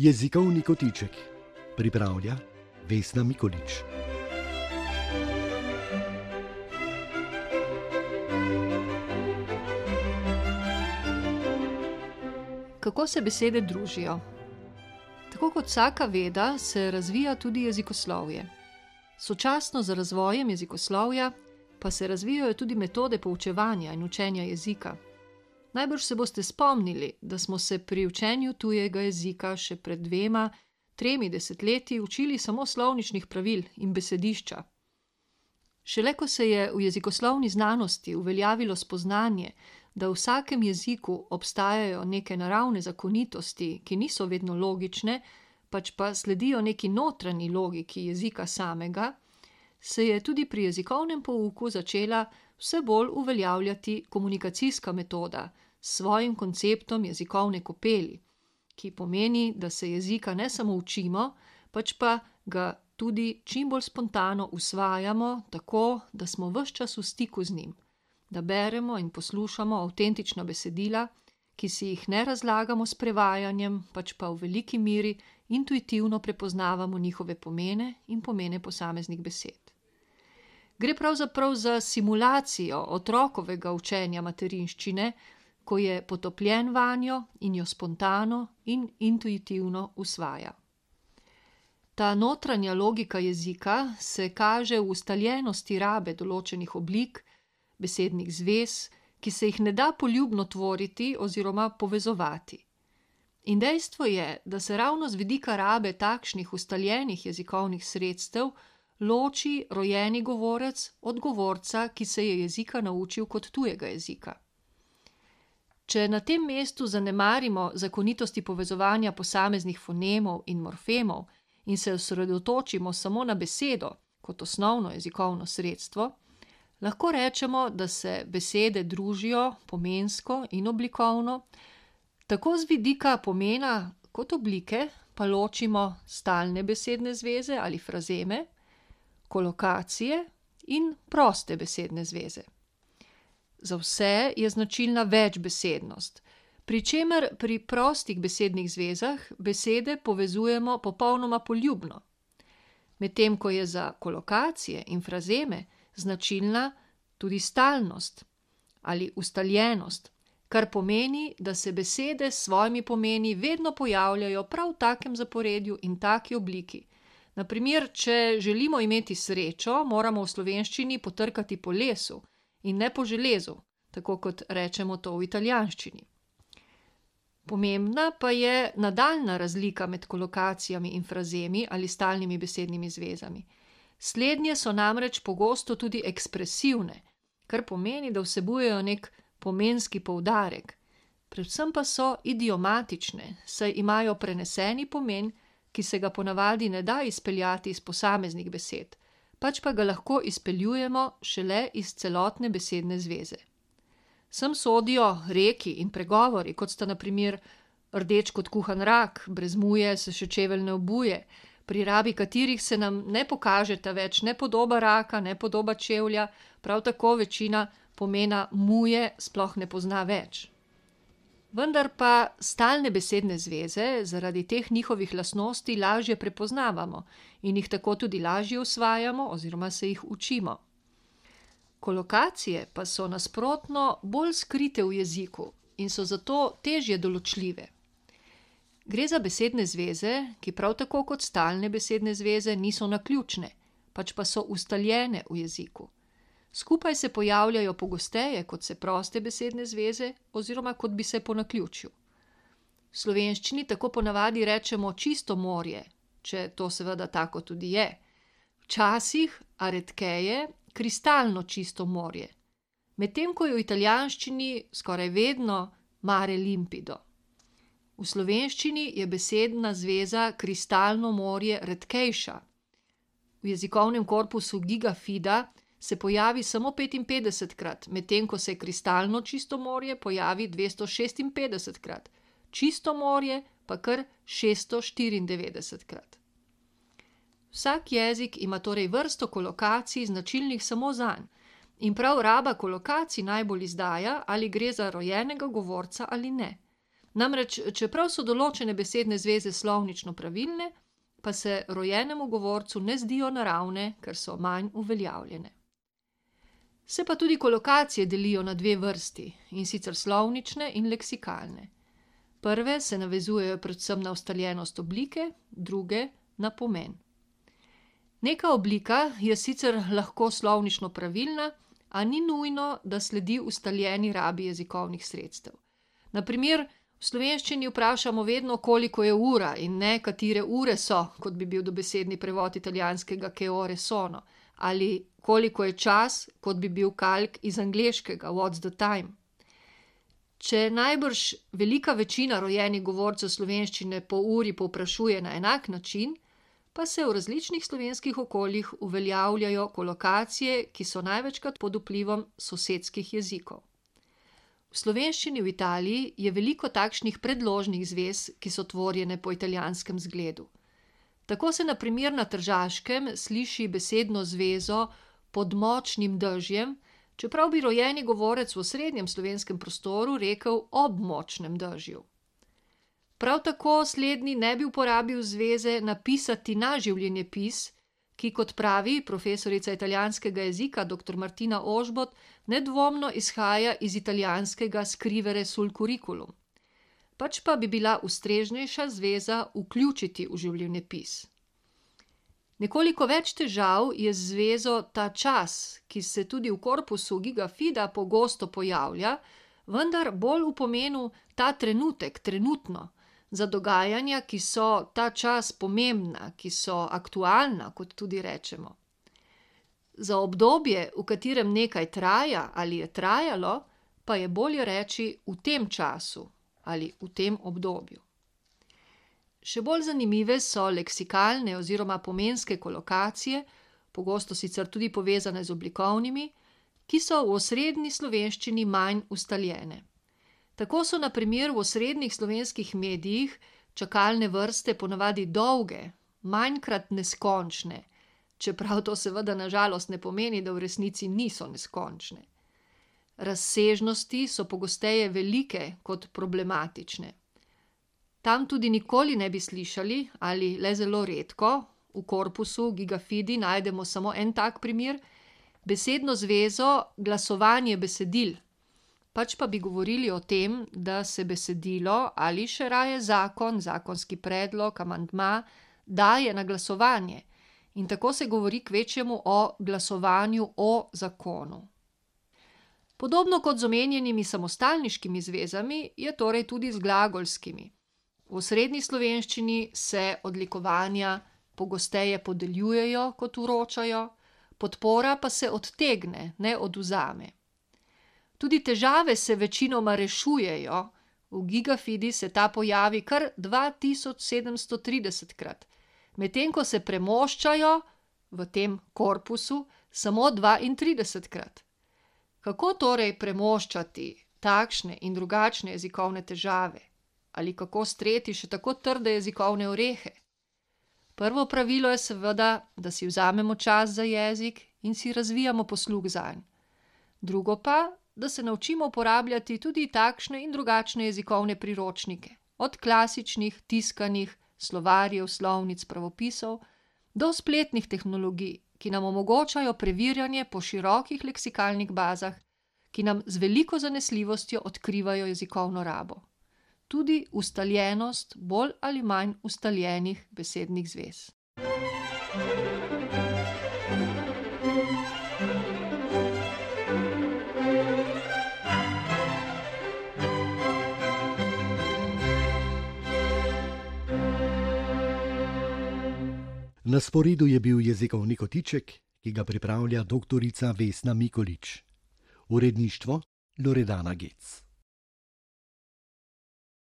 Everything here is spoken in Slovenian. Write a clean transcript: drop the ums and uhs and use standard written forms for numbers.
Jezikovni kotiček pripravlja Vesna Mikolič. Kako se besede družijo? Tako kot vsaka veda se razvija tudi jezikoslovje. Sočasno z razvojem jezikoslovja pa se razvijajo tudi metode poučevanja in učenja jezika. Najbrž se boste spomnili, da smo se pri učenju tujega jezika še pred 2-3 desetletji učili samo slovničnih pravil in besedišča. Šele ko se je v jezikoslovni znanosti uveljavilo spoznanje, da v vsakem jeziku obstajajo neke naravne zakonitosti, ki niso vedno logične, pač pa sledijo neki notranji logiki jezika samega, se je tudi pri jezikovnem pouku začela vse bolj uveljavljati komunikacijska metoda s svojim konceptom jezikovne kopeli, ki pomeni, da se jezika ne samo učimo, pač pa ga tudi čim bolj spontano usvajamo, tako da smo ves čas v stiku z njim, da beremo in poslušamo avtentična besedila, ki si jih ne razlagamo s prevajanjem, pač pa v veliki meri intuitivno prepoznavamo njihove pomene in pomene posameznih besed. Gre pravzaprav za simulacijo otrokovega učenja materinščine, ko je potopljen vanjo in jo spontano in intuitivno usvaja. Ta notranja logika jezika se kaže v ustaljenosti rabe določenih oblik, besednih zvez, ki se jih ne da poljubno tvoriti oziroma povezovati. In dejstvo je, da se ravno z vidika rabe takšnih ustaljenih jezikovnih sredstev loči rojeni govorec od govorca, ki se je jezika naučil kot tujega jezika. Če na tem mestu zanemarimo zakonitosti povezovanja posameznih fonemov in morfemov in se osredotočimo samo na besedo kot osnovno jezikovno sredstvo, lahko rečemo, da se besede družijo pomensko in oblikovno, tako z vidika pomena kot oblike pa ločimo stalne besedne zveze ali frazeme, kolokacije in proste besedne zveze. Za vse je značilna večbesednost, pri čemer pri prostih besednih zvezah besede povezujemo popolnoma poljubno, medtem ko je za kolokacije in frazeme značilna tudi stalnost ali ustaljenost, kar pomeni, da se besede s svojimi pomeni vedno pojavljajo prav v takem zaporedju in taki obliki. Na primer, če želimo imeti srečo, moramo v slovenščini potrkati po lesu in ne po železu, tako kot rečemo to v italijanščini. Pomembna pa je nadaljnja razlika med kolokacijami in frazemi ali stalnimi besednimi zvezami. Slednje so namreč pogosto tudi ekspresivne, kar pomeni, da vsebujejo nek pomenski poudarek, predvsem pa so idiomatične, saj imajo preneseni pomen, ki se ga ponavadi ne da izpeljati iz posameznih besed, pač pa ga lahko izpeljujemo šele iz celotne besedne zveze. Sem sodijo reki in pregovori, kot sta na primer rdeč kot kuhan rak, brez muje se še čevelj ne obuje, pri rabi katerih se nam ne pokažeta več ne podoba raka, ne podoba čevlja, prav tako večina pomena muje sploh ne pozna več. Vendar pa stalne besedne zveze zaradi teh njihovih lastnosti lažje prepoznavamo in jih tako tudi lažje usvajamo oziroma se jih učimo. Kolokacije pa so nasprotno bolj skrite v jeziku in so zato težje določljive. Gre za besedne zveze, ki prav tako kot stalne besedne zveze niso naključne, pač pa so ustaljene v jeziku. Skupaj se pojavljajo pogosteje kot se proste besedne zveze oziroma kot bi se po naključju. V slovenščini tako ponavadi rečemo čisto morje, če to seveda tako tudi je. Včasih, a redkeje, kristalno čisto morje, medtem ko je v italijanščini skoraj vedno mare limpido. V slovenščini je besedna zveza kristalno morje redkejša. V jezikovnem korpusu giga fida se pojavi samo 55krat, medtem ko se kristalno čisto morje pojavi 256krat, čisto morje pa kar 694krat. Vsak jezik ima torej vrsto kolokacij značilnih samo zanj in prav raba kolokacij najbolj izdaja, ali gre za rojenega govorca ali ne. Namreč, čeprav so določene besedne zveze slovnično pravilne, pa se rojenemu govorcu ne zdijo naravne, ker so manj uveljavljene. Se pa tudi kolokacije delijo na dve vrsti, in sicer slovnične in leksikalne. Prve se navezujejo predvsem na ustaljenost oblike, druge na pomen. Neka oblika je sicer lahko slovnično pravilna, a ni nujno, da sledi ustaljeni rabi jezikovnih sredstev. Na primer, v slovenščini vprašamo vedno, koliko je ura in ne, katere ure so, kot bi bil dobesedni prevod italijanskega che ore sono, ali koliko je čas, kot bi bil kalk iz angleškega what's the time. Če najbrž velika večina rojenih govorcev slovenščine po uri povprašuje na enak način, pa se v različnih slovenskih okoljih uveljavljajo kolokacije, ki so največkrat pod vplivom sosedskih jezikov. V slovenščini v Italiji je veliko takšnih predložnih zvez, ki so tvorjene po italijanskem zgledu. Tako se na primer na Tržaškem sliši besedno zvezo pod močnim dežjem, čeprav bi rojeni govorec v osrednjem slovenskem prostoru rekel ob močnem dežju. Prav tako slednji ne bi uporabil zveze napisati na življenjepis, ki, kot pravi profesorica italijanskega jezika dr. Martina Ožbot, nedvomno izhaja iz italijanskega scrivere sul curriculum. Pač pa bi bila ustreznejša zveza vključiti v življenjepis. Nekoliko več težav je z zvezo ta čas, ki se tudi v korpusu Giga Fida pogosto pojavlja, vendar bolj v pomenu ta trenutek, trenutno, za dogajanja, ki so ta čas pomembna, ki so aktualna, kot tudi rečemo. Za obdobje, v katerem nekaj traja ali je trajalo, pa je bolje reči v tem času ali v tem obdobju. Še bolj zanimive so leksikalne oziroma pomenske kolokacije, pogosto sicer tudi povezane z oblikovnimi, ki so v osrednji slovenščini manj ustaljene. Tako so na primer v osrednjih slovenskih medijih čakalne vrste ponavadi dolge, manjkrat neskončne, čeprav to seveda na žalost ne pomeni, da v resnici niso neskončne. Razsežnosti so pogosteje velike kot problematične. Tam tudi nikoli ne bi slišali, ali le zelo redko, v korpusu Giga Fidi najdemo samo en tak primer, besedno zvezo glasovanje besedil, pač pa bi govorili o tem, da se besedilo ali še raje zakon, zakonski predlog, amandma daje na glasovanje in tako se govori kvečjemu o glasovanju o zakonu. Podobno kot z omenjenimi samostalniškimi zvezami je torej tudi z glagolskimi. V osrednji slovenščini se odlikovanja pogosteje podeljujejo kot vročajo, podpora pa se odtegne, ne odvzame. Tudi težave se večinoma rešujejo, v Giga Fidi se ta pojavi kar 2730-krat, medtem ko se premoščajo v tem korpusu samo 32-krat. Kako torej premoščati takšne in drugačne jezikovne težave? Ali kako streti še tako trde jezikovne orehe? Prvo pravilo je seveda, da si vzamemo čas za jezik in si razvijamo posluh zanj. Drugo pa, da se naučimo uporabljati tudi takšne in drugačne jezikovne priročnike, od klasičnih, tiskanih, slovarjev, slovnic, pravopisov, do spletnih tehnologij, ki nam omogočajo preverjanje po širokih leksikalnih bazah, ki nam z veliko zanesljivostjo odkrivajo jezikovno rabo. Tudi ustaljenost bolj ali manj ustaljenih besednih zvez. Na sporedu je bil jezikovni kotiček, ki ga pripravlja doktorica Vesna Mikolič. Uredništvo Loredana Gec.